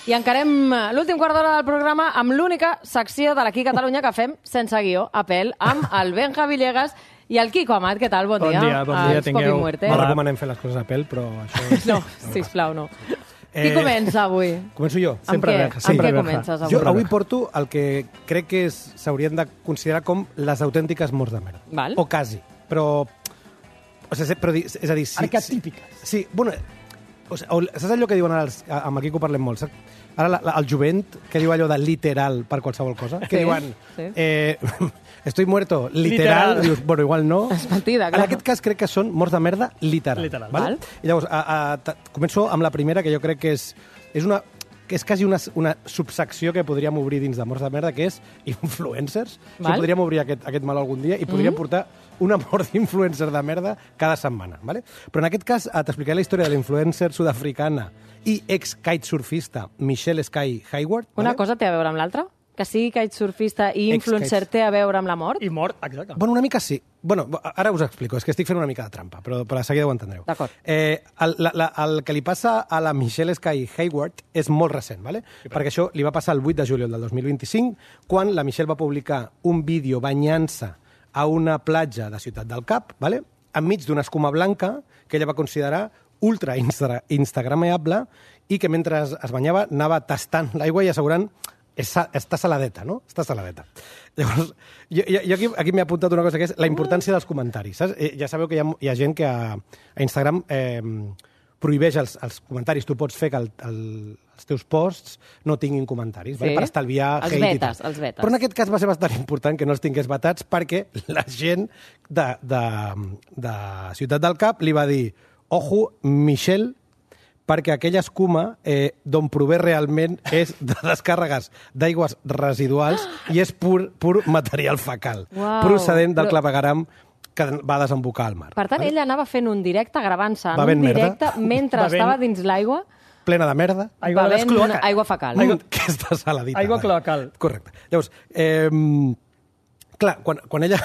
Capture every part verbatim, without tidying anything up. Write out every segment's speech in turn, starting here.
I encarem l'últim quart d'hora del programa amb l'única secció de l'Aquí Catalunya que fem sense guió, a pèl, amb el Benja Villegas i el Quico Amat. Què tal? Bon dia. Bon dia, bon dia. Tingueu... No recomanem fer les coses a pèl, però això... No, sisplau, no. Qui comença avui? Començo jo. Sempre Benja. Amb què comences avui? Jo avui porto el que crec que s'haurien de considerar com les autèntiques morts de merda. Val. O quasi, però... O sigui, però és a dir... Sí, arquetípiques. Sí, bueno... O sigui, saps allò que diuen ara, els, amb el Quico parlem molt, saps? Ara la, la, el jovent, que diu allò de literal per qualsevol cosa, que sí, diuen, sí. eh, estoy muerto, literal, literal. Dius, bueno, igual no. És mentida, clar. En aquest cas crec que són morts de merda literal. Literal. Val? I llavors, a, a, començo amb la primera, que jo crec que és, és una... que és quasi una, una subsecció que podríem obrir dins de morts de merda, que és influencers. O sigui, podríem obrir aquest, aquest mal algun dia i podríem mm-hmm. portar una mort d'influencer de merda cada setmana. Vale? Però en aquest cas t'explicaré la història de l'influencer sud-africana i ex-kitesurfista Michelle Sky Hayward. Una vale? cosa té a veure amb l'altra? Que sigui kitesurfista i influencer té a veure amb la mort? I mort, exacte. Bueno, una mica sí. Bueno, ara us explico, és que estic fent una mica de trampa, però per a seguida ho entendreu. D'acord. Eh, el, la, la, el que li passa a la Michelle Sky Hayward és molt recent, ¿vale? Sí, perquè això li va passar el vuit de juliol del dos mil vint-i-cinc, quan la Michelle va publicar un vídeo banyant-se a una platja de Ciutat del Cap, ¿vale? Enmig d'una escuma blanca que ella va considerar ultra insta instagramable i que mentre es banyava anava tastant l'aigua i assegurant està saladeta, no? Està saladeta. Llavors, jo, jo aquí, aquí m'he apuntat una cosa que és la importància dels comentaris. Saps? Ja sabeu que hi ha, hi ha gent que a, a Instagram eh, prohibeix els, els comentaris. Tu pots fer que el, el, els teus posts no tinguin comentaris, sí. Vale? Per estalviar els hate vetes, i tal. Els vetes. Però en aquest cas va ser bastant important que no els tingués vetats perquè la gent de, de, de Ciutat del Cap li va dir ojo, Michelle, perquè aquella escuma eh, d'on prové realment és de descàrregues d'aigües residuals i és pur, pur material fecal, wow. procedent del clavegueram que va desembocar al mar. Per tant, vale? Ella anava fent un directe, gravant-se en un directe merda. mentre Bevent... estava dins l'aigua. Plena de merda. Aigua de cloaca. Aigua fecal. Aigua... Que està saladita. Aigua cloacal. Correcte. Llavors, eh, clar, quan, quan ella...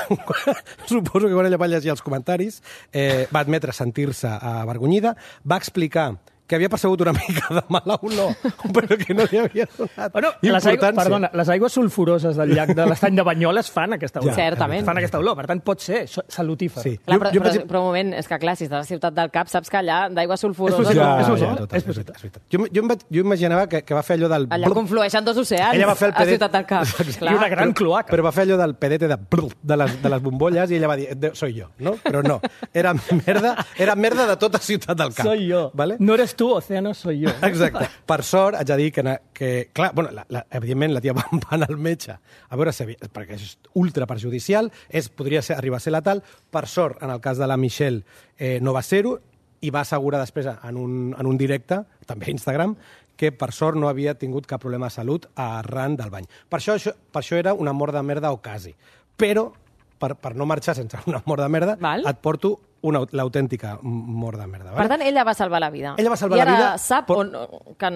suposo que quan ella va llegir els comentaris, eh, va admetre sentir-se avergonyida, va explicar que havia percebut una mica de mal a un no, però que no li havia donat bueno, les aigües, perdona, les aigües sulfuroses del llac de l'estany de Banyoles fan aquesta olor. Ja, certament. Fan aquesta olor, per tant, pot ser salutífer. Sí. Clar, però, jo, jo però, vaig... però un moment, és que clar, si estàs a Ciutat del Cap, saps que allà d'aigües sulfuroses... Ja, és ja, ja, tot, és veritat, és veritat. Jo, jo, jo imaginava que, que va fer allò del... Allà conflueixen dos oceans, ella va fer el pedet... a Ciutat del Cap. I una gran cloaca. Però va fer allò del pedete de, de, les, de les bombolles i ella va dir, soy jo, no? Però no, era merda, era merda de tota Ciutat del Cap. Soy jo. Vale? No eres tu, océano, soy jo. Exacte. Per sort, haig de dir que, que clar, bueno, la, la, evidentment la tia va anar al metge a veure si, perquè és ultra perjudicial, és, podria ser, arribar a ser letal. Per sort, en el cas de la Michelle, eh, no va ser-ho, i va assegurar després en un, en un directe, també a Instagram, que per sort no havia tingut cap problema de salut arran del bany. Per això, això, per això era una mort de merda o quasi. Però, per, per no marxar sense una mort de merda, Val. et porto l'autèntica mort de merda. Vale? Per tant, ella va salvar la vida. Ella va salvar I ara la vida, sap però... on, que,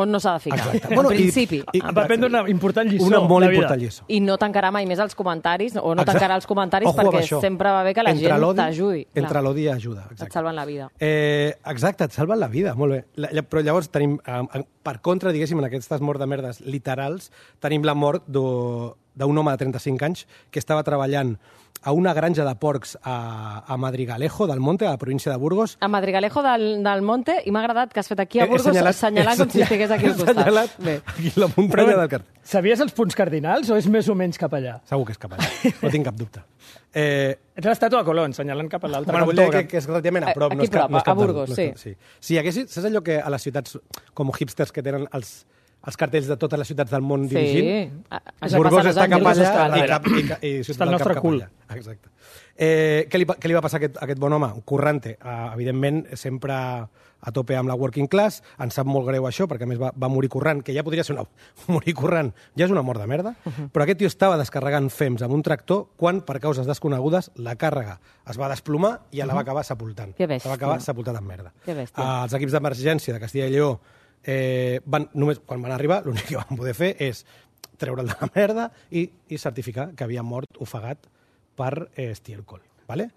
on no s'ha de ficar. Exacte. En Bueno, principi. I, i, va prendre una important lliçó. Una molt la vida. important lliçó. I no tancarà mai més els comentaris, o no Exacte. tancarà els comentaris, Ojo perquè això. sempre va bé que la Entre gent t'ajudi. Entre l'odi i ajuda. Exacte. Et salven la vida. Eh, exacte, et salven la vida, molt bé. La, però llavors tenim, eh, per contra, diguéssim, en aquestes morts de merdes literals, tenim la mort d'un home de trenta-cinc anys que estava treballant a una granja de porcs a, a Madrigalejo del Monte, a la província de Burgos. A Madrigalejo del, del Monte, i m'ha agradat que has fet aquí a He- he Burgos, senyalat- assenyalant he com si estigués aquí al he costat. senyalat Bé. aquí la muntanya del carrer. Sabies els punts cardinals o és més o menys cap allà? Segur que és cap allà, no tinc cap dubte. Eh, Ets l'estàtua de Colón, senyalant cap a l'altre Bueno, vull cantó. dir que, que és relativament a prop. Aquí no és cap, prop, no és cap a Burgos, de- no és sí. cap- sí. Si hi haguessis, saps allò que a les ciutats com hipsters que tenen els, els cartells de totes les ciutats del món Sí. dirigint? A- això Burgos passa als està cap Angeles, allà Austràlia. i, cap, i, ca- i Està Ciutat al del Cap nostre cap cul. allà. Exacte. Eh, què, li, què li va passar a aquest, a aquest bon home? Un currante, uh, evidentment, sempre a tope amb la working class, ens sap molt greu això, perquè a més va, va morir currant, que ja podria ser una... morir currant ja és una mort de merda, uh -huh. però aquest tio estava descarregant fems amb un tractor quan, per causes desconegudes, la càrrega es va desplomar i ja la va acabar sepultant. Que bèstia. La va acabar sepultant en merda. Que bèstia. Uh, els equips d'emergència de Castilla i Lleó, eh, van, només quan van arribar, l'únic que van poder fer és treure'l de la merda i, i certificar que havia mort ofegat per eh, estiércol. Vale?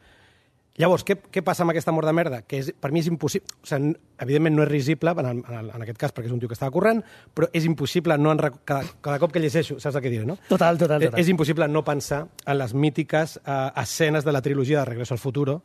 Llavors, què, què passa amb aquesta mort de merda? Que és, per mi és impossible... O sigui, evidentment no és risible, en, el, en, el, en aquest cas, perquè és un tio que estava corrent, però és impossible no... En, cada, cada cop que llegeixo, saps el que diré, no? Total, total, total. És impossible no pensar en les mítiques eh, escenes de la trilogia de Regreso al Futuro,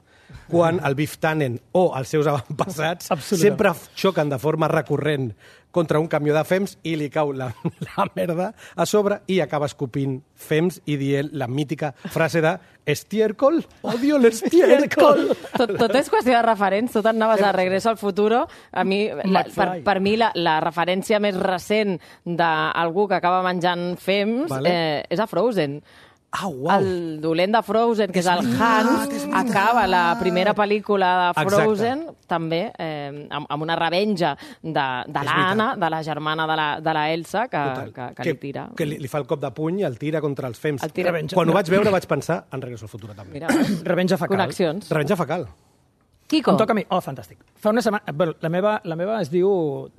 quan el Biff Tannen o els seus avantpassats sempre xoquen de forma recurrent contra un camió de fems i li cau la, la merda a sobre i acaba escopint fems i dient la mítica frase de estiércol, odio l'estiércol. Tot, tot és qüestió de referents, tot anaves a Regreso al Futuro. A mi, la, per, per mi la, la referència més recent d'algú que acaba menjant fems vale. eh, és a Frozen. Ah, wow. El dolent de Frozen, que és el Hans, acaba la primera pel·lícula de Frozen Exacte. també eh, amb, amb una revenja de, de l'Anna, de la germana de la, de la Elsa, que, que, que, que li tira. Que li, li fa el cop de puny i el tira contra els fems. El tira... Quan ho vaig veure vaig pensar en Regreso al Futuro també. Mira, revenja facal. Connexions. Revenja facal. Kiko. Em toca a mi. Oh, fantàstic. Fa una setmana... Bueno, la, meva, la meva es diu,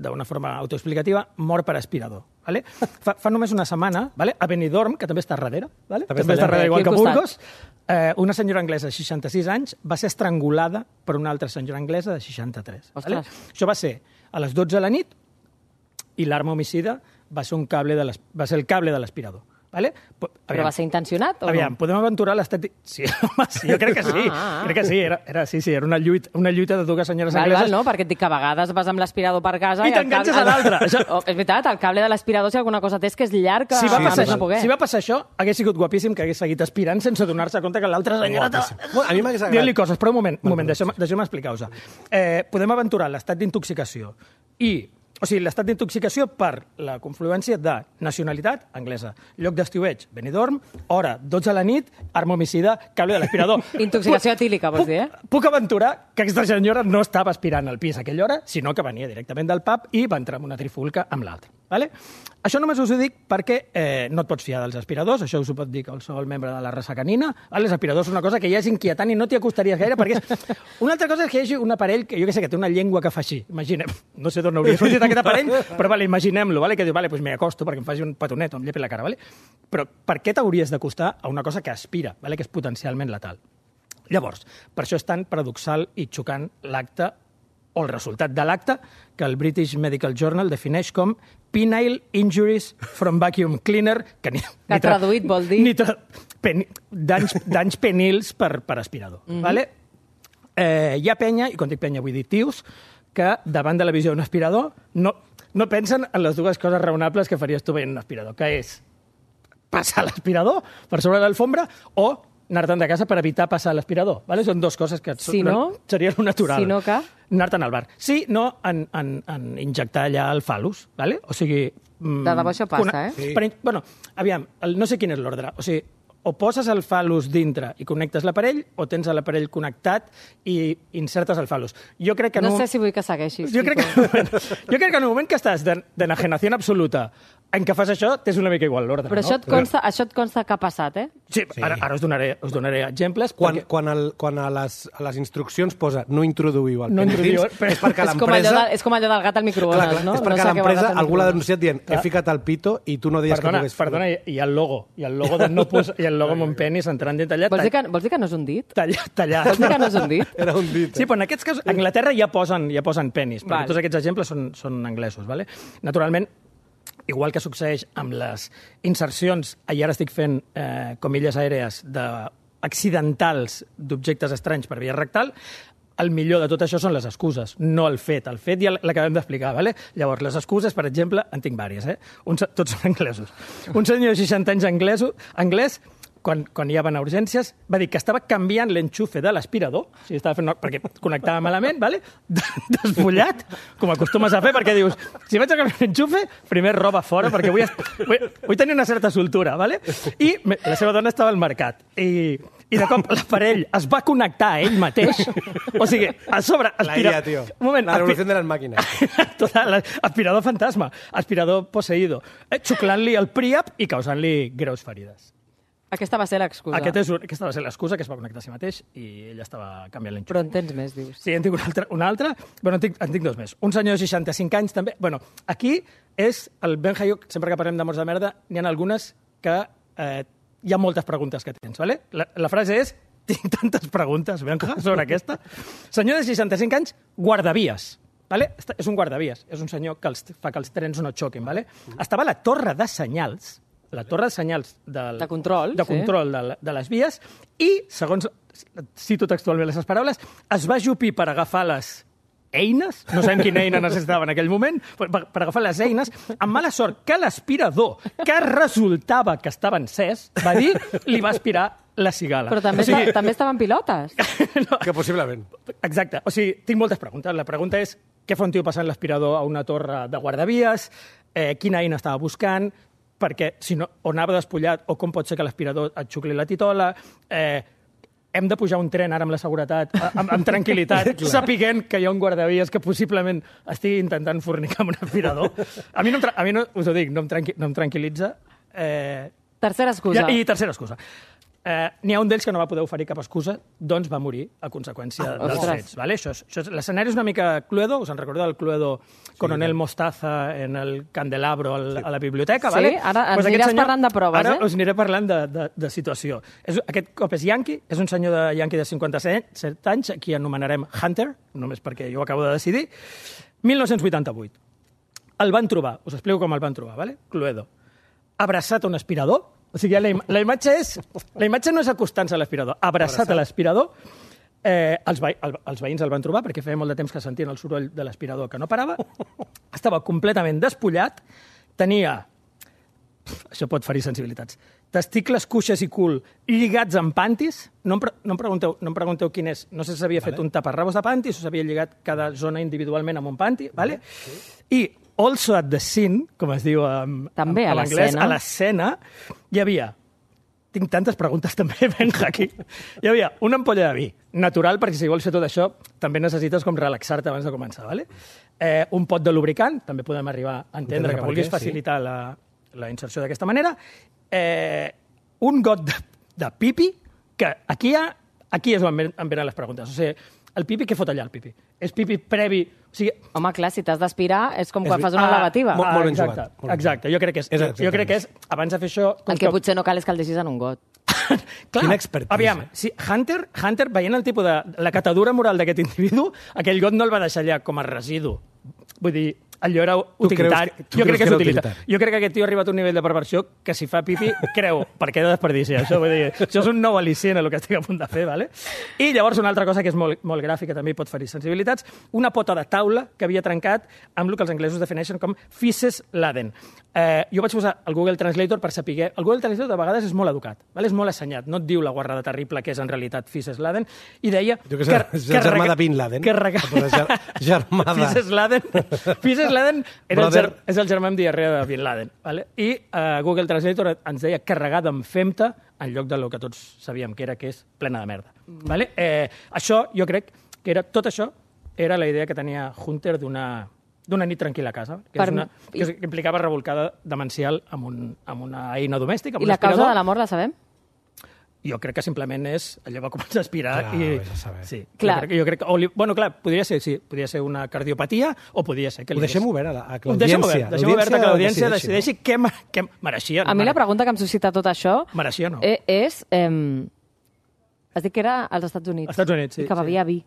d'una forma autoexplicativa, mort per aspirador. Vale? Fa, fa només una setmana, vale? A Benidorm, que també està darrere, vale? també, també està darrere, igual que a Burgos, eh, una senyora anglesa de seixanta-sis anys va ser estrangulada per una altra senyora anglesa de seixanta-tres. Vale? Això va ser a les dotze de la nit i l'arma homicida va ser, un cable de va ser el cable de l'aspirador. Vale? Però va ser intencionat o aviam, no? Podem aventurar l'estat... Sí, home, sí, jo crec que sí. Ah, ah. Crec que sí, era, era, sí, sí, era una lluita, una lluita de dues senyores val, angleses. Val, no, perquè et dic que a vegades vas amb l'aspirador per casa... I, i t'enganxes a l'altre. Això... Oh, és veritat, el cable de l'aspirador, si alguna cosa té, és que és llarg que... Si va, sí, passar, sí, no si va passar això, hagués sigut guapíssim que hagués seguit aspirant sense donar-se compte que l'altra senyora... Bueno, a mi m'hagués agradat. Dient-li coses, però un moment, un moment, deixeu-me deixeu explicar-vos. Eh, podem aventurar l'estat d'intoxicació i... O sigui, l'estat d'intoxicació per la confluència de nacionalitat anglesa, lloc d'estiueig, Benidorm, hora, dotze de la nit, arma homicida, cable de l'aspirador. Intoxicació etílica, vols dir, eh? Puc, puc aventurar que aquesta senyora no estava aspirant al pis a aquella hora, sinó que venia directament del pub i va entrar en una trifulca amb l'altra. Vale? Això només us ho dic perquè eh, no et pots fiar dels aspiradors, això us ho pot dir qualsevol membre de la raça canina. Els aspiradors són una cosa que ja és inquietant i no t'hi acostaries gaire, perquè és... Una altra cosa és que hi hagi un aparell que jo que sé, que té una llengua que fa així. Imaginem, no sé d'on hauria sortit aquest aparell, però vale, imaginem-lo, vale? Que diu, vale, pues m'hi acosto perquè em faci un petonet o em llepi la cara. Vale? Però per què t'hauries d'acostar a una cosa que aspira, vale? Que és potencialment letal? Llavors, per això és tan paradoxal i xocant l'acte o el resultat de l'acte que el British Medical Journal defineix com penile injuries from vacuum cleaner, que, ni, que ni tra, traduït vol dir... Ni tra, pen, danys, danys penils per, per aspirador. Mm-hmm. Vale? Eh, hi ha penya, i quan dic penya vull dir tios, que davant de la visió d'un aspirador no, no pensen en les dues coses raonables que faries tu veient un aspirador, que és passar l'aspirador per sobre de l'alfombra o anar-te'n de casa per evitar passar l'aspirador. ¿Vale? Són dues coses que si no, seria el natural. Si no, que? Anar-te'n al bar. Sí, no, en, en, en injectar allà el falus. ¿Vale? O sigui... De debò això passa, una, eh? Sí. Per, bueno, aviam, el, no sé quin és l'ordre. O sigui, o poses el falus dintre i connectes l'aparell, o tens l'aparell connectat i insertes el falus. Jo crec que no no sé si vull que segueixis. Jo crec que, jo crec que en un moment que estàs d'enajenació absoluta en què fas això, tens una mica igual l'ordre. Però no? això, et consta, Però... això et consta que ha passat, eh? Sí, sí. Ara, ara us, donaré, us donaré exemples. Quan, perquè... quan, el, quan a, les, a les instruccions posa no introduïu el no penis, però... és perquè és l'empresa... Com és com allò del gat al microones, clar, clar, no? És perquè no l'empresa algú l'ha denunciat dient he ficat el pito i tu no deies perdona, que pogués... Perdona, i el logo. I el logo de no pos... i el logo amb un penis entrant dins allà... Vols dir, que, vols dir que no és un dit? Tallat. tallat. Vols dir que no és un dit? Era un dit. Eh? Sí, però en aquests casos, a Anglaterra ja posen, ja posen penis, perquè Val. tots aquests exemples són, són anglesos. Vale? Naturalment, igual que succeeix amb les insercions, i ara estic fent eh, comilles aèrees de accidentals d'objectes estranys per via rectal, el millor de tot això són les excuses, no el fet. El fet ja l'acabem d'explicar, ¿vale? Llavors, les excuses, per exemple, en tinc vàries, eh? Un, tots són anglesos. Un senyor de seixanta anys anglès, anglès quan, quan hi van a urgències, va dir que estava canviant l'enxufe de l'aspirador, o sigui, estava fent, perquè connectava malament, ¿vale? Desfullat, com acostumes a fer, perquè dius, si vaig a canviar l'enxufe, primer roba fora, perquè vull, vull, vull tenir una certa soltura, ¿vale? I la seva dona estava al mercat, i, i de cop l'aparell es va connectar a ell mateix, o sigui, a sobre... Aspira... La I A, tio. Un moment, la revolució de les màquines. Total, aspirador fantasma, aspirador poseïdo, eh, xuclant-li el príap i causant-li greus ferides. Aquesta va ser l'excusa. Aquest és, aquesta va ser l'excusa, que es va connectar a si mateix i ella estava canviant l'enxufe. Però en tens més, dius. Sí, en tinc una altra. Una altra. Bueno, en tinc, en tinc dos més. Un senyor de seixanta-cinc anys també. Bueno, aquí és el Ben Hayuk, sempre que parlem de morts de merda, n'hi ha algunes que eh, hi ha moltes preguntes que tens, ¿vale? La, la frase és tinc tantes preguntes, Benja, sobre aquesta. Senyor de seixanta-cinc anys, guardavies. Vale? És un guardavies, és un senyor que els, fa que els trens no xoquin. Vale? Estava a la torre de senyals, la torre de senyals del, de control, de, control sí. de, de les vies, i, segons, cito textualment les paraules, es va ajupir per agafar les eines, no sabem quina eina necessitava en aquell moment, per, per agafar les eines, amb mala sort que l'aspirador, que resultava que estava encès, va dir, li va aspirar la cigala. Però també, o sigui... està, també estaven pilotes. No. Que possiblement. Exacte. O sigui, tinc moltes preguntes. La pregunta és què fa un tio passant l'aspirador a una torre de guardavies, eh, quina eina estava buscant, perquè si no, o anava despullat, o com pot ser que l'aspirador et xucli la titola, eh, hem de pujar un tren ara amb la seguretat, amb, amb tranquil·litat, sapiguent que hi ha un guardavies que possiblement estigui intentant fornicar amb un aspirador. A mi, no, em a mi no, us ho dic, no em, tranqui no em tranquil·litza. Eh... Tercera excusa. I, i tercera excusa. Eh, N'hi ha un d'ells que no va poder oferir cap excusa, doncs va morir a conseqüència ah, dels fets. Vale? Això és, això és, l'escenari és una mica Cluedo, us en recordeu del Cluedo Coronel sí, Mostaza en el Candelabro al, sí. a la biblioteca? Sí, vale? ara ens pues aniràs senyor, parlant de proves, ara eh? Ara us aniré parlant de, de, de situació. És, aquest cop és Yankee, és un senyor de Yankee de cinquanta-set anys, aquí anomenarem Hunter, només perquè jo ho acabo de decidir, mil nou-cents vuitanta-vuit. El van trobar, us explico com el van trobar, vale? Cluedo. Abraçat a un aspirador. O sigui, la, im la imatge és... La imatge no és acostant-se a l'aspirador. Abraçat, Abraçat a l'aspirador. Eh, els, ve el, els veïns el van trobar perquè feia molt de temps que sentien el soroll de l'aspirador que no parava. Estava completament despullat. Tenia... Això pot ferir sensibilitats. Testicles, cuixes i cul lligats amb pantis. No em, pre no em, pregunteu, no em pregunteu quin és. No sé si s'havia vale. fet un taparrabos de pantis o s'havia lligat cada zona individualment amb un panti. Vale? Sí. I also at the scene, com es diu en, també en, en anglès, a l'escena, hi havia... Tinc tantes preguntes també, venga, aquí. Hi havia una ampolla de vi, natural, perquè si vols fer tot això, també necessites com relaxar-te abans de començar, ¿vale? Eh, un pot de lubricant, també podem arribar a entendre que vulguis facilitar sí. la, la inserció d'aquesta manera. Eh, un got de, de pipi, que aquí, ha, aquí és on em venen les preguntes. O sigui, el pipi, què fot allà, el pipi? És pipi previ... O sigui... Home, clar, si t'has d'aspirar és com quan és... fas una ah, lavativa. Molt, molt ben exacte, jugat. Molt exacte. Jo crec que és, és jo crec que és abans de fer això... El que, que potser no cal és que el deixis en un got. Clar, quina expertise. Aviam, si Hunter, Hunter, veient el tipus de... la catadura moral d'aquest individu, aquell got no el va deixar allà com a residu. Vull dir, allò era utilitari. Tu creus, tu jo crec que és utilitari. utilitari. Jo crec que aquest tio ha arribat a un nivell de perversió que si fa pipi, creu, per què de desperdiciar això? Vull dir, això és un nou al·licient el que estic a punt de fer, ¿vale? I llavors una altra cosa que és molt, molt gràfica, també pot ferir sensibilitats, una pota de taula que havia trencat amb el que els anglesos defineixen com feces laden. Eh, jo vaig posar el Google Translator per saber... El Google Translator de vegades és molt educat, ¿vale? És molt assenyat, no et diu la guarrada terrible que és en realitat feces laden, i deia... Jo que, que és el germà de Bin Laden. Que rega... Germà de... Feces laden... Feces laden era el ger... és el germà amb diarrea de Bin Laden. ¿Vale? I uh, Google Translator ens deia carregada amb femta en lloc del que tots sabíem que era, que és plena de merda. Mm. ¿Vale? Eh, això, jo crec que era tot això era la idea que tenia Hunter d'una d'una nit tranquil·la a casa, que, per... és una, que, que implicava revolcada demencial amb, un, amb una eina domèstica. I la causa de la mort la sabem? Jo crec que simplement és... Allò va començar a aspirar clar, i... Sí, clar. Jo crec, jo crec que... O li, bueno, clar, podria ser, sí, podria ser una cardiopatia o podria ser que... Ho deixem obert a, a l'audiència. Ho deixem obert, deixem obert a que l'audiència decideixi, decideixi què, què mereixia. A mi la pregunta que em suscita tot això... Mereixia, no? És... Eh, has dit que era als Estats Units. Estats Units, sí. I que bevia sí. vi.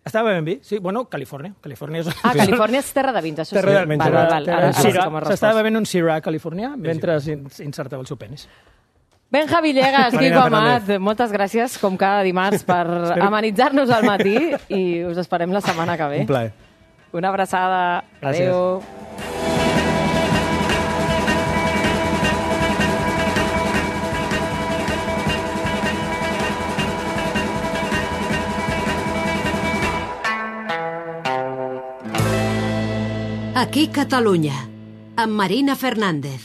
Estava bevent vi? Sí, bueno, Califòrnia. Califòrnia és... Ah, Califòrnia és terra de vins, això terra sí. De val, val, val. S'estava bevent un Syrah californià mentre insertava el seu penis. Benja Villegas, Quico Amat, moltes gràcies, com cada dimarts, per amenitzar-nos al matí i us esperem la setmana que ve. Un plaer. Una abraçada. Gràcies. Adéu. Aquí Catalunya, amb Marina Fernández.